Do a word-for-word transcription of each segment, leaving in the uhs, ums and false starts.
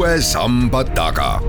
uue samba taga.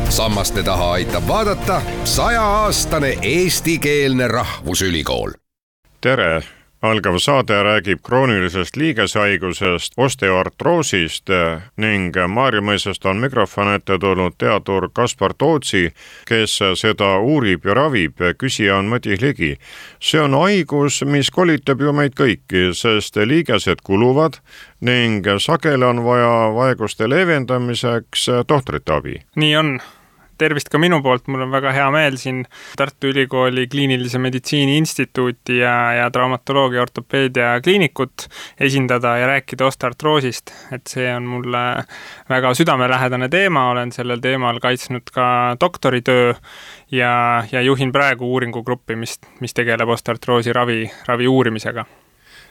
Sammaste taha aitab vaadata sajaaastane eestikeelne rahvusülikool. Tere! Algav saade räägib kroonilisest liigeshaigusest, osteoartroosist ning Maarjamõisast on mikrofon ette tulnud teadur Kaspar Tootsi, kes seda uurib ja ravib. Küsija on Madis Ligi. See on haigus, mis kolitab ju meid kõiki, sest liigesed kuluvad ning sageli on vaja vaeguste leevendamiseks tohtrite abi. Nii on. Tervist ka minu poolt, mul on väga hea meel siin Tartu Ülikooli kliinilise meditsiini instituuti ja, ja traumatoloogia ortopeedia kliinikut esindada ja rääkida osteoartroosist. Et see on mulle väga südamelähedane teema, olen sellel teemal kaitsnud ka doktoritöö ja, ja juhin praegu uuringugruppi, mis, mis tegeleb osteoartroosi ravi, ravi uurimisega.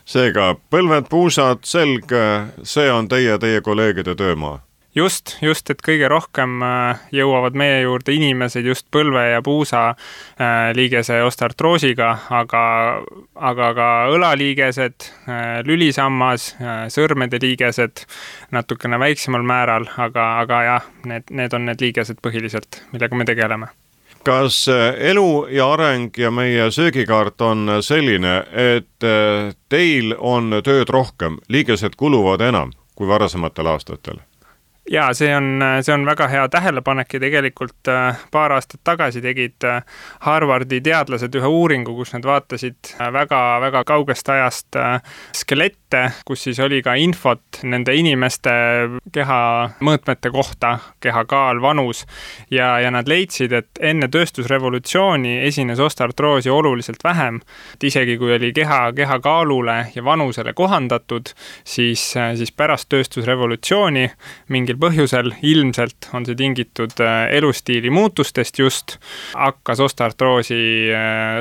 Seega, põlved, puusad, selg, see on teie, teie kolleegide töömaa. Just, just, et kõige rohkem jõuavad meie juurde inimesed just põlve ja puusa liigese osteoartroosiga, aga, aga ka õlaliigesed, lülisammas, sõrmede liigesed natukene väiksemal määral, aga, aga jah, need, need on need liigesed põhiliselt, millega me tegeleme. Kas elu ja areng ja meie söögikaart on selline, et teil on tööd rohkem, liigesed kuluvad enam kui varasematel aastatel? Jaa, see on, see on väga hea tähelepanek ja tegelikult paar aastat tagasi tegid Harvardi teadlased ühe uuringu, kus nad vaatasid väga, väga kaugest ajast skelette, kus siis oli ka infot nende inimeste keha mõõtmete kohta, keha kaal, vanus ja, ja nad leidsid, et enne tööstusrevolutsiooni esines osteoartroosi oluliselt vähem. Et isegi kui oli keha, keha kaalule ja vanusele kohandatud, siis, siis pärast tööstusrevolutsiooni mingi põhjusel ilmselt on see tingitud elustiili muutustest just, hakkas osteoartroosi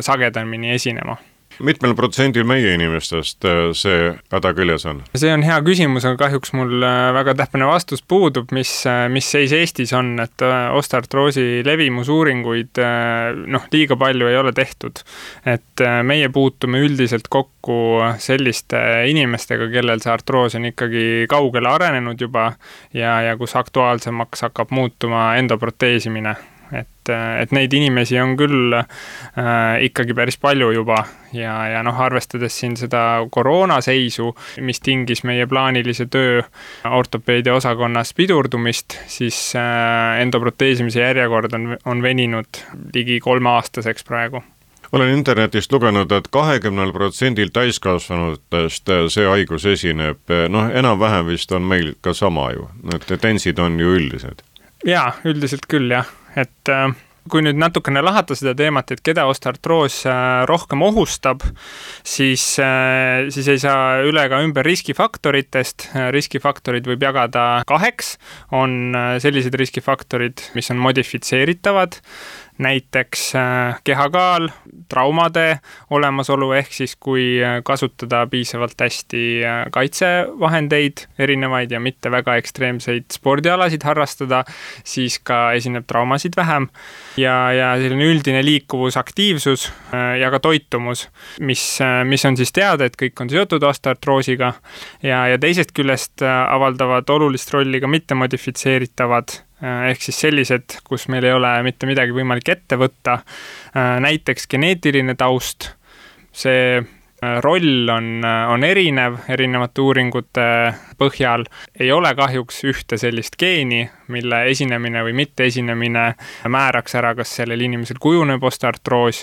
sagedamini esinema. Mitmel protsendil meie inimestest see häda küljes on? See on hea küsimus, aga kahjuks mul väga täpne vastus puudub, mis, mis seis Eestis on, et osteoartroosi levimusuuringuid noh, liiga palju ei ole tehtud. Et meie puutume üldiselt kokku selliste inimestega, kellel see artroos on ikkagi kaugele arenenud juba ja, ja kus aktuaalsemaks hakkab muutuma endoproteesimine. Et, et neid inimesi on küll äh, ikkagi päris palju juba ja, ja noh, arvestades siin seda koroonaseisu, mis tingis meie plaanilise töö ortopeedia osakonnas pidurdumist, siis äh, endoproteesimise järjekord on, on veninud ligi kolmeaastaseks praegu. Olen internetist lugenud, et kahekümnel protsendil täiskasvanutest see haigus esineb. Noh, enam-vähem vist on meil ka sama ju. Need tendentsid on ju üldised. Jaa, üldiselt küll jah. Et kui nüüd natukene lahata seda teemat, et keda osteoartroos rohkem ohustab, siis, siis ei saa üle ka ümber riskifaktoritest. Riskifaktorid võib jagada kaheks. On sellised riskifaktorid, mis on modifitseeritavad, näiteks kehakaal, traumade olemasolu, ehk siis kui kasutada piisavalt hästi kaitsevahendeid erinevaid ja mitte väga ekstreemseid spordialasid harrastada, siis ka esineb traumasid vähem. Ja, ja selline üldine liikuvus, aktiivsus ja ka toitumus, mis, mis on siis teada, et kõik on seotud osteoartroosiga ja, ja teisest küljest avaldavad olulist rolli ka mitte modifitseeritavad, ehk siis sellised, kus meil ei ole mitte midagi võimalik ette võtta, näiteks geneetiline taust. See roll on, on erinev, erinevate uuringute põhjal. Ei ole kahjuks ühte sellist geeni, mille esinemine või mitte esinemine määraks ära, kas sellel inimesel kujuneb osteoartroos,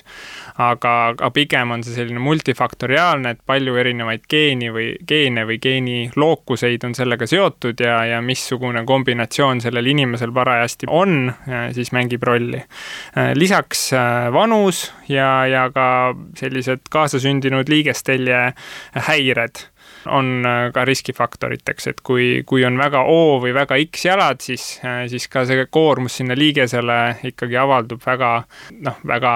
aga, aga pigem on see selline multifaktoriaalne, et palju erinevaid geeni või geene või geeni lookuseid on sellega seotud ja, ja missugune kombinatsioon sellel inimesel parajasti on, siis mängib rolli. Lisaks vanus ja, ja ka sellised kaasasündinud liigestelje häired on ka riskifaktoriteks, et kui, kui on väga O või väga X jalad, siis, siis ka see koormus sinna liigesele ikkagi avaldub väga, noh, väga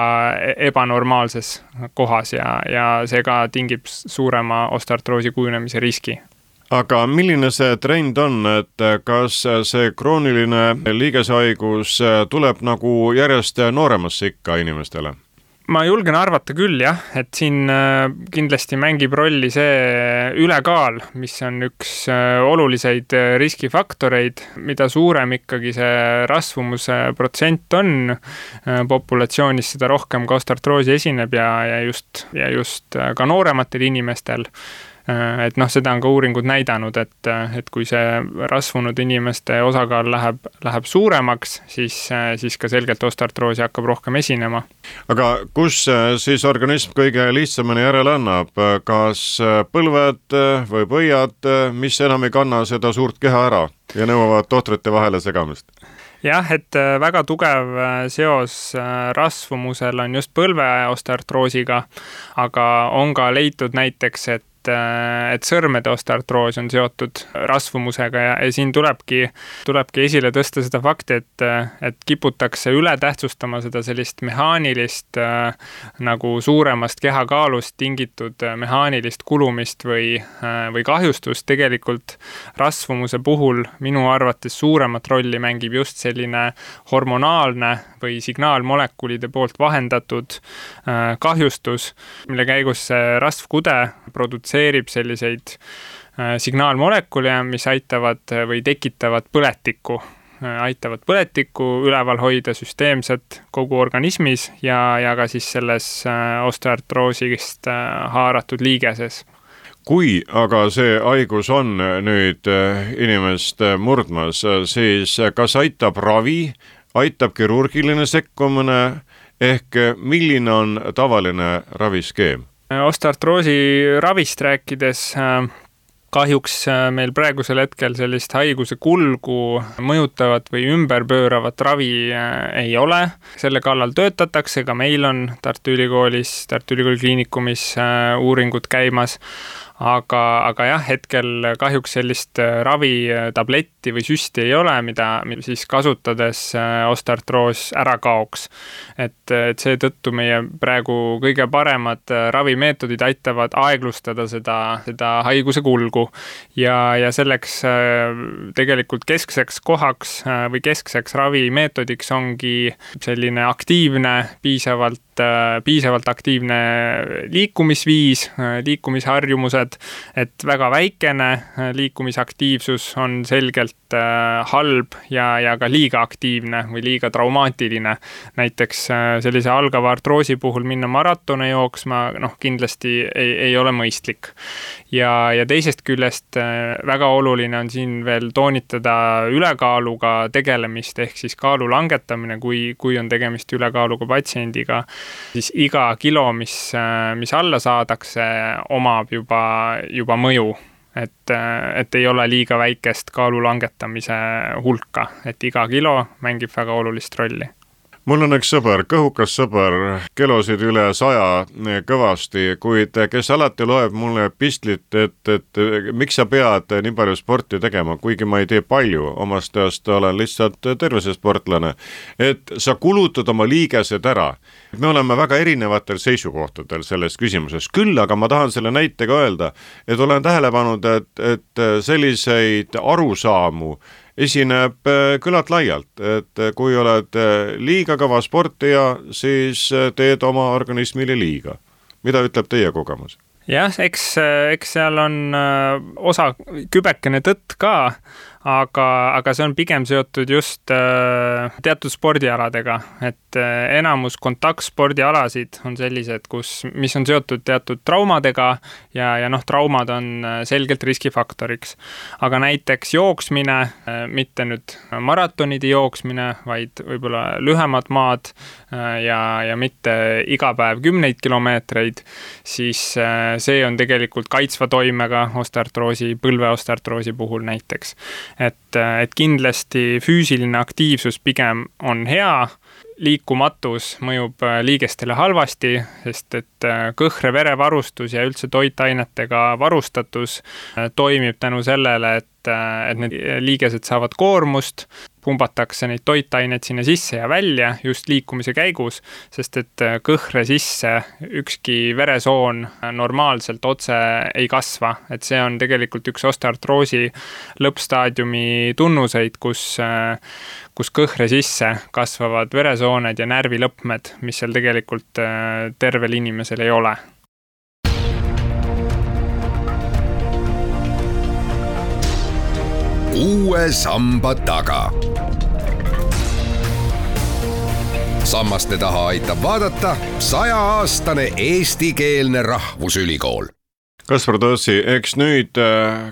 ebanormaalses kohas ja, ja see ka tingib suurema osteoartroosi kujunemise riski. Aga milline see trend on, et kas see krooniline liigeshaigus tuleb nagu järjest nooremasse ikka inimestele? ma julgen arvata küll jah, et siin kindlasti mängib rolli see ülekaal, mis on üks oluliseid riskifaktoreid, mida suurem ikkagi see rasvumuse protsent on populatsioonis, seda rohkem ka osteoartroosi esineb ja, ja, just, ja just ka noorematel inimestel. Et noh, seda on ka uuringud näidanud, et, et kui see rasvunud inimeste osakaal läheb, läheb suuremaks, siis, siis ka selgelt osteoartroosi hakkab rohkem esinema. Aga kus siis organism kõige lihtsamini järele annab? Kas põlved või põiad, mis enam ei kanna seda suurt keha ära ja nõuavad tohtrite vahele segamist? Jah, et väga tugev seos rasvumusel on just põlve osteoartroosiga, aga on ka leitud näiteks, et et sõrmede osteoartroos on seotud rasvumusega ja, ja siin tulebki, tulebki esile tõsta seda fakti, et, et kiputakse üle tähtsustama seda sellist mehaanilist nagu suuremast kehakaalust tingitud mehaanilist kulumist või, või kahjustust. Tegelikult rasvumuse puhul minu arvates suuremat rolli mängib just selline hormonaalne või signaalmolekulide poolt vahendatud kahjustus, mille käigus see rasvkude produtseerib selliseid signaalmolekule, mis aitavad või tekitavad põletikku, aitavad põletikku üleval hoida süsteemselt kogu organismis ja, ja ka siis selles osteoartroosist haaratud liigeses. Kui aga see haigus on nüüd inimest murdmas, siis kas aitab ravi, aitab kirurgiline sekkumine ehk milline on tavaline raviskeem? Osteoartroosi ravist rääkides kahjuks meil praegusel hetkel sellist haiguse kulgu mõjutavat või ümberpööravat ravi ei ole. Selle kallal töötatakse, ka meil on Tartu Ülikoolis, Tartu Ülikooli kliinikumis uuringud käimas. Aga, aga jah, hetkel kahjuks sellist ravitabletti või süsti ei ole, mida siis kasutades osteoartroos ära kaoks. Et, et see tõttu meie praegu kõige paremad ravimeetodid aitavad aeglustada seda, seda haiguse kulgu. Ja, ja selleks tegelikult keskseks kohaks või keskseks ravimeetodiks ongi selline aktiivne, piisavalt piisavalt aktiivne liikumisviis, liikumisharjumused, et väga väikene liikumisaktiivsus on selgelt halb ja, ja ka liiga aktiivne või liiga traumaatiline. Näiteks sellise algava artroosi puhul minna maratone jooksma, noh, kindlasti ei, ei ole mõistlik. Ja, ja teisest küljest väga oluline on siin veel toonitada ülekaaluga tegelemist, ehk siis kaalu langetamine, kui, kui on tegemist ülekaaluga patsiendiga, siis iga kilo, mis, mis alla saadakse, omab juba, juba mõju. Et, et ei ole liiga väikest kaalu langetamise hulka, et iga kilo mängib väga olulist rolli. Mul on üks sõber, kõhukas sõber, kilosid üle saja kõvasti, kuid kes alati loeb mulle pistlit, et, et miks sa pead nii palju sporti tegema, kuigi ma ei tee palju, omast teast olen lihtsalt tervisesportlane, et sa kulutad oma liigesed ära. Me oleme väga erinevatel seisukohtadel selles küsimuses, küll aga ma tahan selle näitega öelda, et olen tähele pannud, et, et selliseid arusaamu esineb küllalt laialt, et kui oled liiga kõva sportija, siis teed oma organismile liiga. Mida ütleb teie kogemus? Jah, eks, eks seal on osa kübekene tõtt ka, aga, aga see on pigem seotud just teatud spordialadega, et enamus kontaktspordialasid on sellised, kus, mis on seotud teatud traumadega ja, ja noh, traumad on selgelt riskifaktoriks. Aga näiteks jooksmine, mitte nüüd maratonide jooksmine, vaid võib-olla lühemad maad ja, ja mitte iga päev kümneid kilomeetreid, siis see on tegelikult kaitsva toimega osteoartroosi, põlve osteoartroosi puhul näiteks. Et, et kindlasti füüsiline aktiivsus pigem on hea, liikumatus mõjub liigestele halvasti, sest et kõhre verevarustus ja üldse toitainetega varustatus toimib tänu sellele, et et, et need liigesed saavad koormust, pumbatakse neid toitaineid sinna sisse ja välja just liikumise käigus, sest et kõhre sisse ükski veresoon normaalselt otse ei kasva. Et see on tegelikult üks osteoartroosi lõppstaadiumi tunnuseid, kus, kus kõhre sisse kasvavad veresooned ja närvilõpmed, mis seal tegelikult tervel inimesel ei ole. Uue samba taga. Sammaste taha aitab vaadata sajaaastane eestikeelne rahvusülikool. Kaspar Tootsi, eks nüüd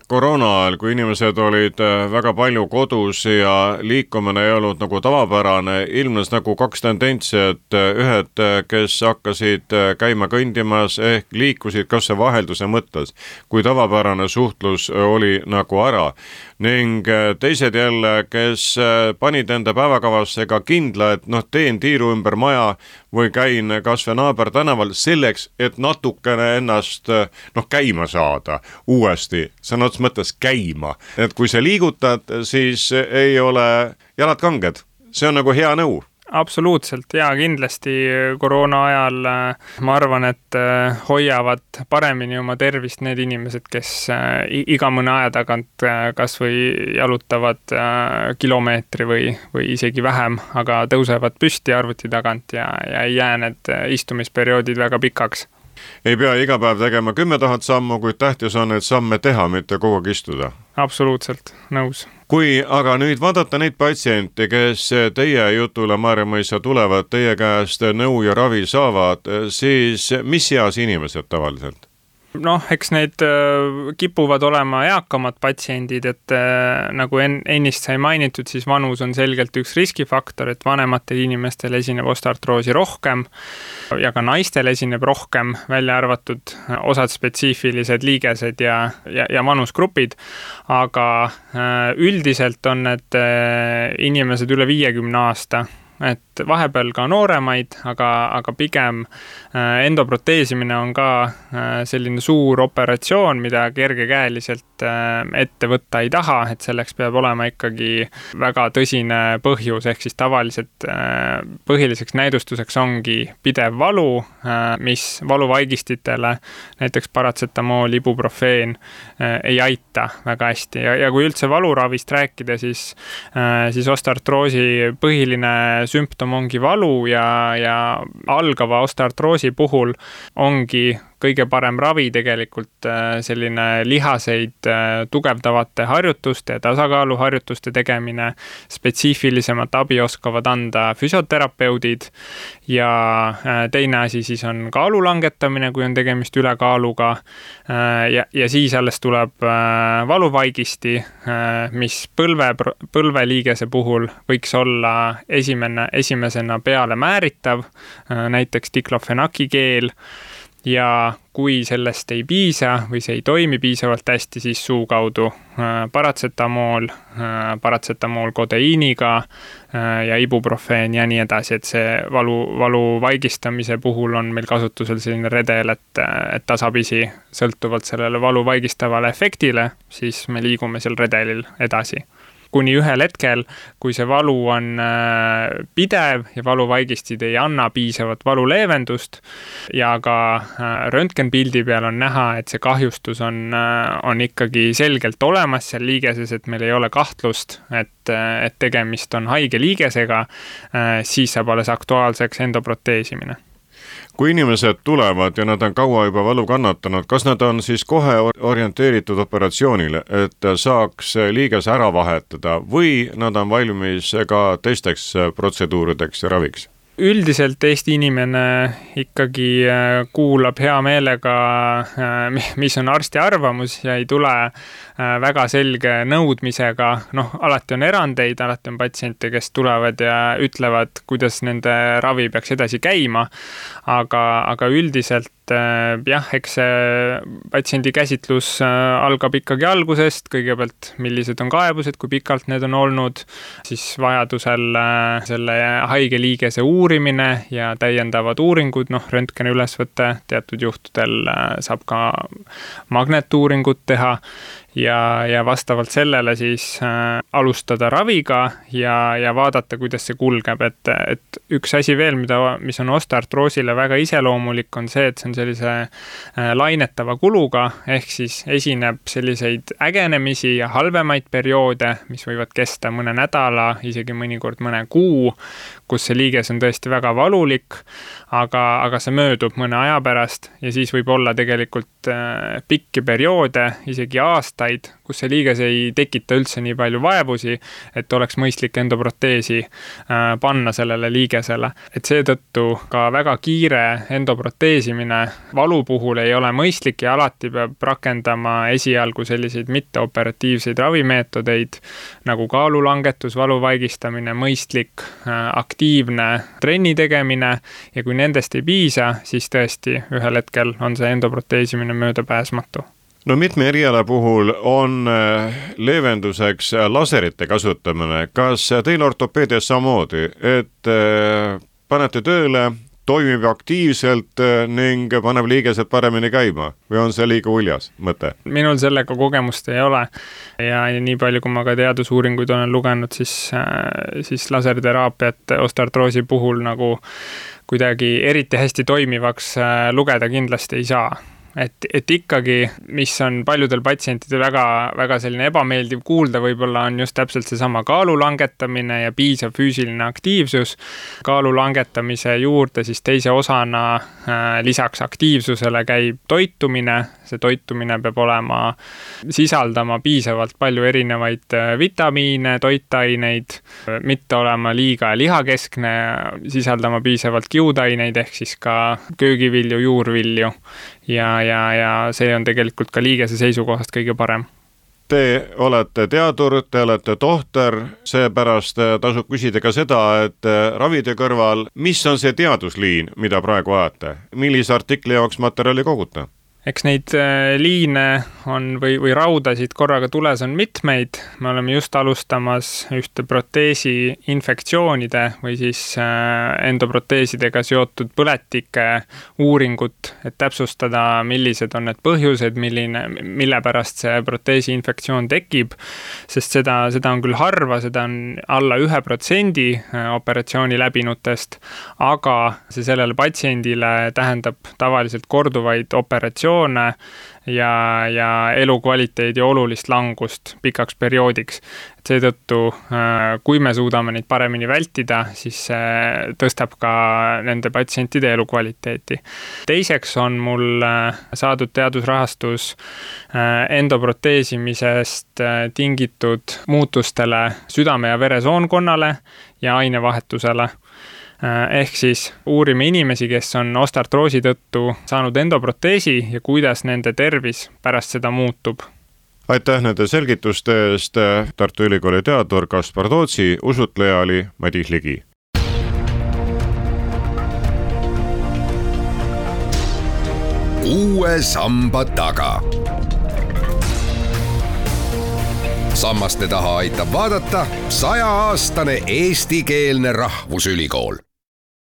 koroona ajal, kui inimesed olid väga palju kodus ja liikumine ei olnud nagu tavapärane, ilmnes nagu kaks tendentsi, et ühed, kes hakkasid käima kõndimas ehk liikusid kas see vahelduse mõttes, kui tavapärane suhtlus oli nagu ära. Ning teised jälle, kes panid enda päevakavasse ka kindla, et noh, teen tiiru ümber maja või käin kas või naaber tänaval selleks, et natukene ennast noh, käima saada uuesti, sõna otseses mõttes käima. Et kui sa liigutad, siis ei ole jalad kanged. See on nagu hea nõu. Absoluutselt, ja kindlasti koroona ajal ma arvan, et hoiavad paremini oma tervist need inimesed, kes iga mõne aja tagant kas või jalutavad kilomeetri või, või isegi vähem, aga tõusevad püsti arvuti tagant ja, ja ei jää need istumisperioodid väga pikaks. Ei pea iga päev tegema kümme tuhat sammu, kuid tähtis on, et samme teha, mitte kogu aeg istuda. Absoluutselt, nõus. Kui aga nüüd vaadata neid patsiente, kes teie jutule Maarjamõisa tulevad, teie käest nõu ja ravi saavad, siis mis eas inimesed tavaliselt? Noh, eks need kipuvad olema eakamad patsiendid, et nagu ennist sai mainitud, siis vanus on selgelt üks riskifaktor, et vanematel inimestel esineb osteoartroosi rohkem ja ka naistel esineb rohkem, välja arvatud osad spetsiifilised liigesed ja, ja, ja vanusgrupid, aga üldiselt on need inimesed üle viiekümne aasta, et vahepeal ka nooremaid, aga, aga pigem endoproteesimine on ka selline suur operatsioon, mida kergekäeliselt ette võtta ei taha, et selleks peab olema ikkagi väga tõsine põhjus, ehk siis tavaliselt põhiliseks näidustuseks ongi pidev valu, mis valuvaigistitele, näiteks paratsetamool, ibuprofeen, ei aita väga hästi. Ja, ja kui üldse valuravist rääkida, siis, siis osteoartroosi põhiline sümptom ongi valu ja, ja algava osteoartroosi puhul ongi kõige parem ravi tegelikult selline lihaseid tugevdavate harjutuste ja tasakaaluharjutuste tegemine, spetsiifilisemat abi oskavad anda füsioterapeudid ja teine asi siis on kaalu langetamine, kui on tegemist ülekaaluga ja, ja siis alles tuleb valuvaigisti, mis põlve, põlveliigese puhul võiks olla esimene, esimesena peale määritav, näiteks diklofenaki keel. Ja kui sellest ei piisa või see ei toimi piisavalt hästi, siis suu kaudu paratsetamool, paratsetamool kodeiiniga ja ibuprofeen ja nii edasi, et see valu, valu vaigistamise puhul on meil kasutusel selline redel, et, et tasapisi sõltuvalt sellele valu vaigistavale efektile, siis me liigume seal redelil edasi. Kuni ühel hetkel, kui see valu on pidev ja valuvaigistid ei anna piisavat valuleevendust ja ka röntgenpildi peal on näha, et see kahjustus on, on ikkagi selgelt olemas seal liigeses, et meil ei ole kahtlust, et, et tegemist on haige liigesega, siis saab alles aktuaalseks endoproteesimine. Kui inimesed tulevad ja nad on kaua juba valu kannatanud, kas nad on siis kohe orienteeritud operatsioonile, et saaks liiges ära vahetada või nad on valmis ka teisteks protseduurideks ja raviks? Üldiselt Eesti inimene ikkagi kuulab hea meelega, mis on arsti arvamus ja ei tule väga selge nõudmisega. Noh, alati on erandeid, alati on patsiente, kes tulevad ja ütlevad, kuidas nende ravi peaks edasi käima, aga, aga üldiselt jah, eks see patsiendi käsitlus algab ikkagi algusest, kõigepealt millised on kaebused, kui pikalt need on olnud, siis vajadusel selle haige liigese uurimine ja täiendavad uuringud, noh, röntgeni ülesvõtte, teatud juhtudel saab ka magnetuuringut teha ja, ja vastavalt sellele siis äh, alustada raviga ja, ja vaadata, kuidas see kulgeb, et, et üks asi veel, mida, mis on osteoartroosile väga iseloomulik, on see, et see on sellise äh, lainetava kuluga, ehk siis esineb selliseid ägenemisi ja halvemaid perioode, mis võivad kesta mõne nädala, isegi mõnikord mõne kuu, kus see liiges on tõesti väga valulik, aga, aga see möödub mõne aja pärast ja siis võib olla tegelikult äh, pikki perioode, isegi aastaid, kus see liiges ei tekita üldse nii palju vaevusi, et oleks mõistlik endoproteesi äh, panna sellele liigesele. Et seetõttu ka väga kiire endoproteesimine valu puhul ei ole mõistlik ja alati peab rakendama esialgu selliseid mitteoperatiivseid ravimeetodeid, nagu kaalulangetus, valu vaigistamine, mõistlik äh, aktiivne trenni tegemine ja kui nendest ei piisa, siis tõesti ühel hetkel on see endoproteesimine möödapääsmatu. No mitme eriala puhul on leevenduseks laserite kasutamine. Kas teil ortopeedias samamoodi, et panete tööle, toimib aktiivselt ning paneb liigesed paremini käima või on see liiga uljas mõte? Minul sellega kogemust ei ole ja nii palju, kui ma ka teadusuuringuid olen lugenud, siis, siis laserteraapiat osteoartroosi puhul nagu kuidagi eriti hästi toimivaks lugeda kindlasti ei saa. Et, et ikkagi, mis on paljudel patsientidel väga, väga selline ebameeldiv kuulda, võib-olla on just täpselt seesama kaalu langetamine ja piisav füüsiline aktiivsus. Kaalu langetamise juurde siis teise osana äh, lisaks aktiivsusele käib toitumine. See toitumine peab olema, sisaldama piisavalt palju erinevaid vitamiine, toitaineid, mitte olema liiga lihakeskne, sisaldama piisavalt kiudaineid ehk siis ka köögivilju, juurvilju. Ja, ja, ja see on tegelikult ka liigese seisukohast kõige parem. Te olete teadur, te olete tohter, seepärast tasub küsida ka seda, et ravide kõrval, mis on see teadusliin, mida praegu ajate? Millise artikli jaoks materjali koguta? Eks neid liine on või, või raudasid korraga tules on mitmeid. Me oleme just alustamas ühte proteesi infektsioonide või siis endoproteesidega seotud põletike uuringut, et täpsustada, millised on need põhjused, milline, mille pärast see proteesi infektsioon tekib, sest seda, seda on küll harva, seda on alla ühe protsendi operatsiooni läbinutest, aga see sellele patsiendile tähendab tavaliselt korduvaid operatsioone ja, ja elukvaliteedi olulist langust pikaks perioodiks. Seetõttu, kui me suudame neid paremini vältida, siis see tõstab ka nende patsientide elukvaliteeti. Teiseks on mul saadud teadusrahastus endoproteesimisest tingitud muutustele südame- ja veresoonkonnale ja ainevahetusele. Ehk siis uurime inimesi, kes on osteoartroosi tõttu saanud endoproteesi ja kuidas nende tervis pärast seda muutub. Aitäh nende selgituste eest. Tartu Ülikooli teadur Kaspar Tootsi, usutleja oli Madis Ligi. Uue samba taga. Sammaste taha aitab vaadata sajaaastane eestikeelne rahvusülikool.